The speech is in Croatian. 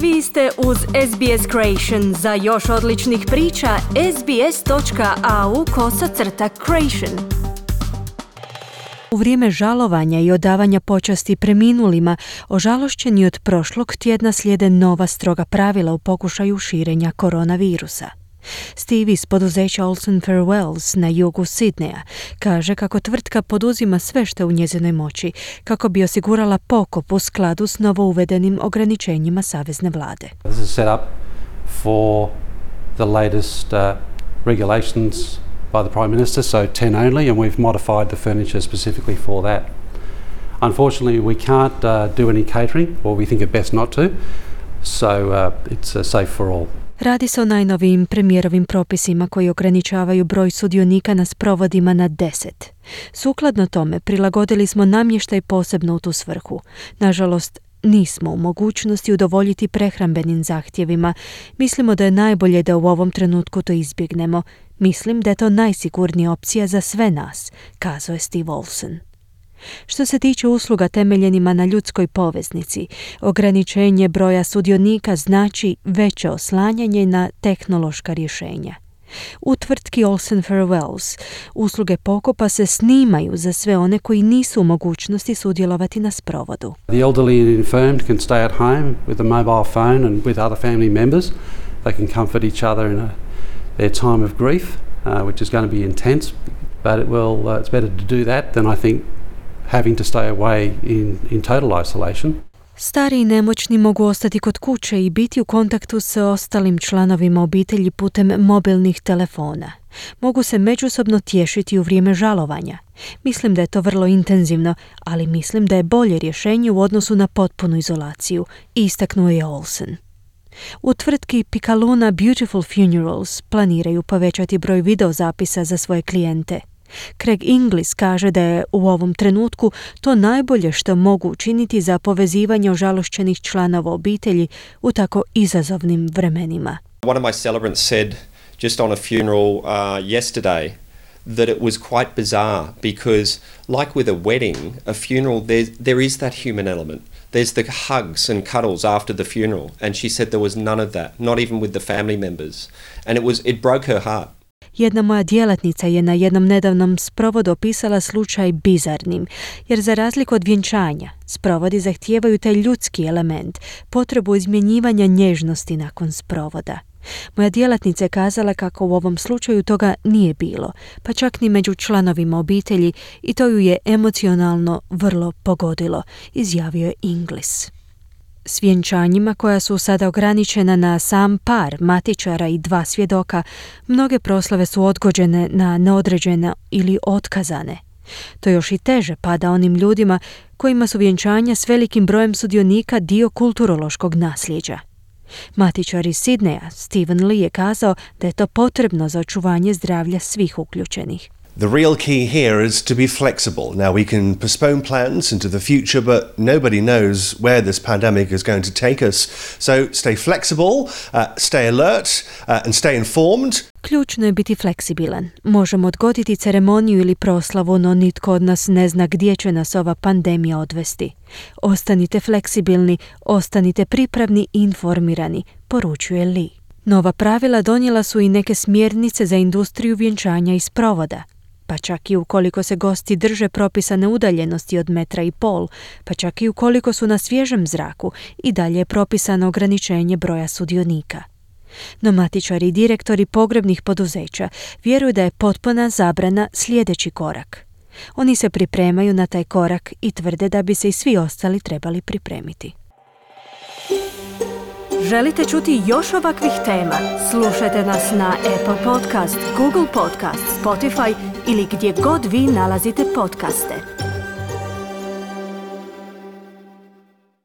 Vi ste uz SBS Creation. Za još odličnih priča, sbs.au/creation. U vrijeme žalovanja i odavanja počasti preminulima, ožalošćeni od prošlog tjedna slijede nova stroga pravila u pokušaju širenja koronavirusa. Steve iz poduzeća Olsen Farewells na jugu Sidneja kaže kako tvrtka poduzima sve što je u njezinoj moći kako bi osigurala pokop u skladu s novo uvedenim ograničenjima savezne vlade. This is set up for the latest regulations by the Prime Minister, so 10 only, and we've modified the furniture specifically for that. Unfortunately, we can't do any catering, or we think it best not to, so it's safe for all. Radi se o najnovijim premijerovim propisima koji ograničavaju broj sudionika na sprovodima na 10. Sukladno tome, prilagodili smo namještaj posebno u tu svrhu. Nažalost, nismo u mogućnosti udovoljiti prehrambenim zahtjevima. Mislimo da je najbolje da u ovom trenutku to izbjegnemo. Mislim da je to najsigurnija opcija za sve nas, kazao je Steve Olsen. Što se tiče usluga temeljenima na ljudskoj poveznici, ograničenje broja sudionika znači veće oslanjanje na tehnološka rješenja. U tvrtki Olsen Farewells usluge pokopa se snimaju za sve one koji nisu u mogućnosti sudjelovati na sprovodu. The elderly and infirmed can stay at home with a mobile phone and with other family members. They can comfort each other in their time of grief, which is going to be intense, but it's better to do that than I think having to stay away in total isolation. Stari i nemoćni mogu ostati kod kuće i biti u kontaktu s ostalim članovima obitelji putem mobilnih telefona. Mogu se međusobno tješiti u vrijeme žalovanja. Mislim da je to vrlo intenzivno, ali mislim da je bolje rješenje u odnosu na potpunu izolaciju, istaknuo je Olsen. U tvrtki Picaluna Beautiful Funerals planiraju povećati broj videozapisa za svoje klijente. Craig Inglis kaže da je u ovom trenutku to najbolje što mogu učiniti za povezivanje ožalošćenih članova obitelji u tako izazovnim vremenima. One of my celebrants said just on a funeral yesterday that it was quite bizarre because like with a wedding, a funeral, there is that human element. There's the hugs and cuddles after the funeral, and she said there was none of that, not even with the family members. And it broke her heart. Jedna moja djelatnica je na jednom nedavnom sprovodu opisala slučaj bizarnim, jer za razliku od vjenčanja, sprovodi zahtijevaju taj ljudski element, potrebu izmjenjivanja nježnosti nakon sprovoda. Moja djelatnica je kazala kako u ovom slučaju toga nije bilo, pa čak ni među članovima obitelji, i to ju je emocionalno vrlo pogodilo, izjavio je Inglis. S vjenčanjima koja su sada ograničena na sam par matičara i 2 svjedoka, mnoge proslave su odgođene na neodređeno ili otkazane. To još i teže pada onim ljudima kojima su vjenčanja s velikim brojem sudionika dio kulturološkog nasljeđa. Matičar iz Sidneja, Stephen Lee, je kazao da je to potrebno za očuvanje zdravlja svih uključenih. The real key here is to be flexible. Now we can postpone plans into the future, but nobody knows where this pandemic is going to take us. So stay flexible, stay alert and stay informed. Ključno je biti fleksibilan. Možemo odgoditi ceremoniju ili proslavu, no nitko od nas ne zna gdje će nas ova pandemija odvesti. Ostanite fleksibilni, ostanite pripravni i informirani, poručuje Lee. Nova pravila donijela su i neke smjernice za industriju vjenčanja i sprovoda. Pa čak i ukoliko se gosti drže propisane udaljenosti od 1,5 metra, pa čak i ukoliko su na svježem zraku, i dalje je propisano ograničenje broja sudionika. No matičari i direktori pogrebnih poduzeća vjeruju da je potpuna zabrana sljedeći korak. Oni se pripremaju na taj korak i tvrde da bi se i svi ostali trebali pripremiti. Želite čuti još ovakvih tema? Slušajte nas na Apple Podcast, Google Podcast, Spotify ili gdje god vi nalazite podcaste.